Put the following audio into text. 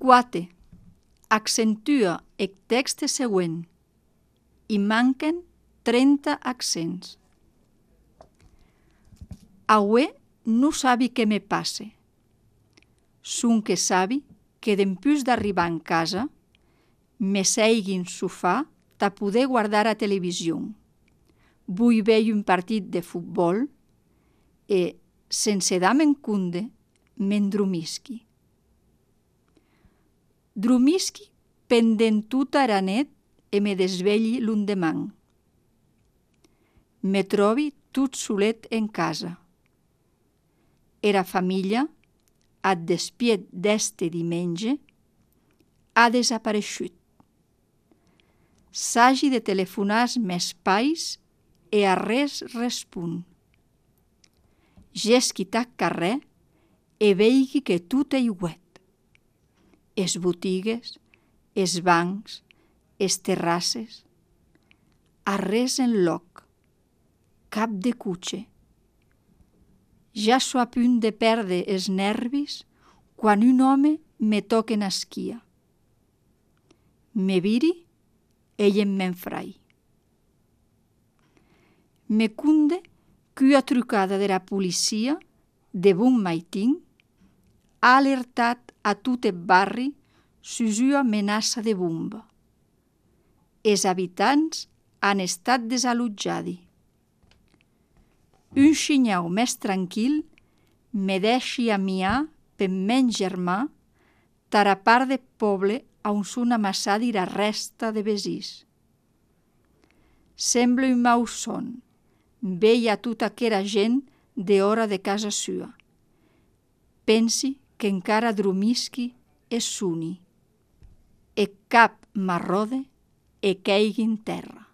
4. Accentua el text següent. Hi manquen 30 accents. Aué non sabi què me passe. Sonque sabi que dempús d'arribar en casa, me seigui en sofà ta poder guardar a television. Vull veure un partit de futbol e, sense dar-me'n compte, m'endromisqui. Dromisqui pendent tota era net e me desvelhi l'endemant. Me trobi tot solet en casa. Era família, ath despiet d'este dimenge, ha desapareishut. S'hagi de telefonar als mes pais e arrés respon. Gesqui tac carrèr e veigui que tot ei uet. Es botigues, es bancs, es terrasses. Arrés en loc. Cap de cuche. Ja so a punt de perdre els nervis quan un home me toca en esquia. Me viri, ell em m'enfrai. Me conde qu'ua trucada dera policia de bon maitin ha alertat a tot eth barri sus ua amenaça de bomba. Es habitants han estat desalotjadi. Un shinhau més tranquil me deixi amiar per men germà tara part de poble on son amassadi era resta de vesís. Sembla un mau son, veia tota aquera gent de hora de casa sua. Pensi que encara dromisqui e soni. E cap m'arrode e queigui en terra.